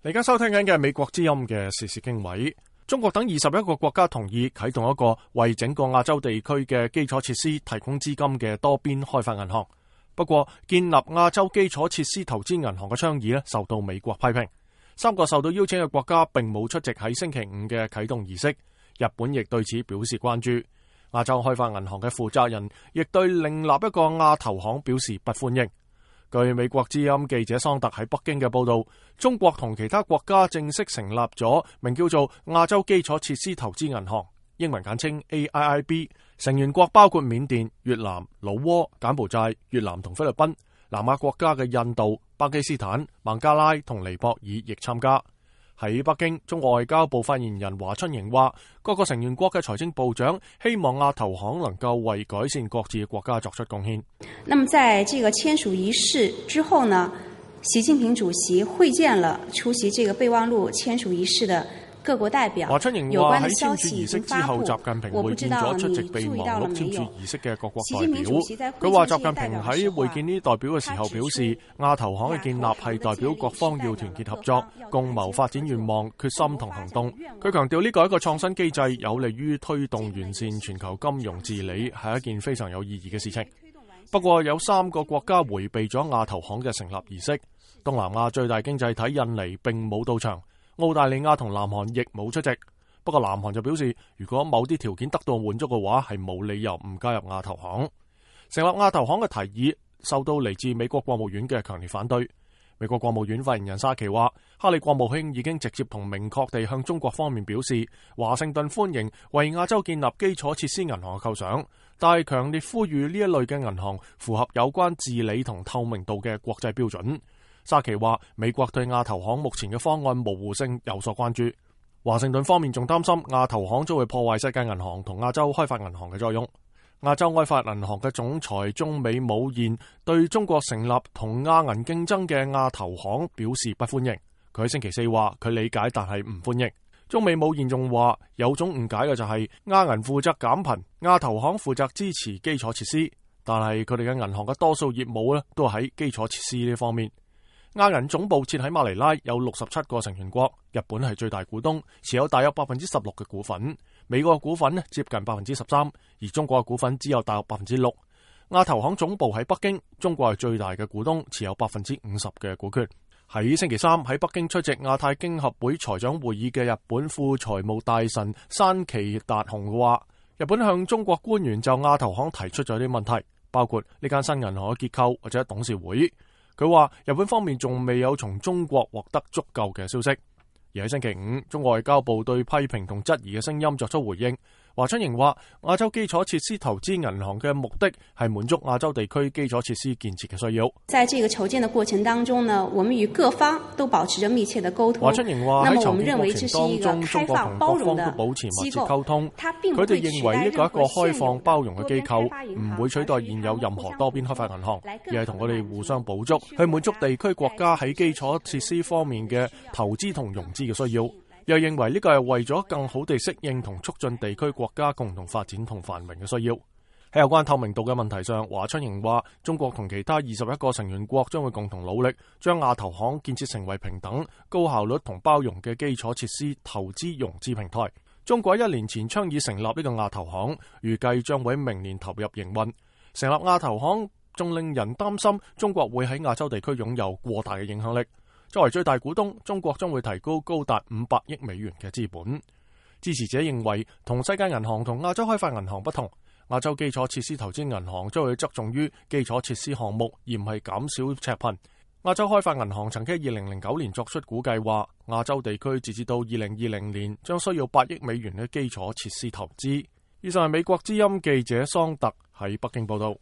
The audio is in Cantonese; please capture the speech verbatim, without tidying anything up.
你而家收聽緊嘅係美國之音嘅時事經緯。中國等二十一個國家同意啟動一個為整個亞洲地區嘅基礎設施提供資金嘅多邊開發銀行。不過，建立亞洲基礎設施投資銀行嘅倡議咧，受到美國批評。三個受到邀請嘅國家並冇出席喺星期五嘅啟動儀式。日本亦對此表示關注。亞洲開發銀行嘅負責人亦對另立一個亞投行表示不歡迎。據美國之音記者桑特喺北京嘅報道，中國同其他國家正式成立咗名叫做亞洲基礎設施投資銀行，英文簡稱 A I I B， 成員國包括緬甸、越南、老撾、柬埔寨、越南同菲律賓，南亞國家嘅印度、巴基斯坦、孟加拉同尼泊爾亦參加。喺北京，中國外交部發言人華春瑩話，各個成員國嘅財政部長希望亞投行能夠為改善各自嘅國家作出貢獻。那麼在這個簽署儀式之後呢，習近平主席會見了出席這個備忘錄簽署儀式的各國代表。華春瑩話喺簽署儀式之後，習近平會見咗出席備忘錄簽署儀式嘅各國代表。佢話習近平喺會見呢啲代表嘅時候表示，亞投行嘅建立係代表各方要團結合作，共謀發展願望、決心同行動。佢強調呢個係一個創新機制，有利於推動完善全球金融治理，係一件非常有意義嘅事情。不過有三個國家迴避咗亞投行嘅成立儀式。東南亞最大經濟體印尼並冇到場。澳大利亞同南韓亦冇出席，不過南韓就表示，如果某啲條件得到滿足嘅話，係冇理由唔加入亞投行。成立亞投行嘅提議受到嚟自美國國務院嘅強烈反對。美國國務院發言人沙奇話，哈里國務卿已經直接同明確地向中國方面表示，華盛頓歡迎為亞洲建立基礎設施銀行嘅構想，但係強烈呼籲呢一類嘅銀行符合有關治理同透明度嘅國際標準。沙奇話，美國對亞投行目前嘅方案模糊性有所關注。華盛頓方面仲擔心亞投行將會破壞世界銀行同亞洲開發銀行嘅作用。亞洲開發銀行嘅總裁中美武彥對中國成立同亞銀競爭嘅亞投行表示不歡迎。佢喺星期四話，佢理解但係唔歡迎。中美武彥仲話，有種誤解嘅就係亞銀負責減貧，亞投行負責支持基礎設施，但係佢哋嘅銀行嘅多數業務咧都喺基礎設施呢方面。亞銀總部設喺馬尼拉，有六十七個成員國，日本係最大股東，持有大約百分之十六嘅股份。美國嘅股份呢接近百分之十三，而中國嘅股份只有大約百分之六。亞投行總部喺北京，中國係最大嘅股東，持有百分之五十嘅股權。喺星期三喺北京出席亞太經合會財長會議嘅日本副財務大臣山崎達雄話，日本向中國官員就亞投行提出咗啲問題，包括呢間新銀行嘅結構或者董事會。佢話日本方面仲未有從中國獲得足夠嘅消息。而喺星期五，中國外交部對批評同質疑嘅聲音作出回應。華春瑩話，亞洲基礎設施投資銀行嘅目的係滿足亞洲地區基礎設施建設嘅需要。在這個籌建的過程當中呢，我們與各方都保持着密切的溝通。華春瑩話喺籌建過程當中，中國同各方都保持密切溝通。佢哋認為呢個係一個開放包容嘅機構，唔會取代現有任何多邊開發銀行，而係同佢哋互相補足，去滿足地區國家喺基礎設施方面嘅投資同融資嘅需要。又認為呢個係為咗更好地適應同促進地區國家共同發展同繁榮嘅需要。喺有關透明度嘅問題上，華春瑩話，中國同其他二十一個成員國將會共同努力，將亞投行建設成為平等、高效率同包容嘅基礎設施投資融資平台。中國一年前倡議成立呢個亞投行，預計將會明年投入營運。成立亞投行仲令人擔心中國會喺亞洲地區擁有過大嘅影響力。作為最大股東，中國將會提高高達五百億美元嘅資本。支持者認為，同世界銀行同亞洲開發銀行不同，亞洲基礎設施投資銀行將會側重於基礎設施項目，而唔係減少赤貧。亞洲開發銀行曾經喺二零零九年作出估計，話亞洲地區截至到二零二零年將需要八億美元嘅基礎設施投資。以上係美國之音記者桑特喺北京報道。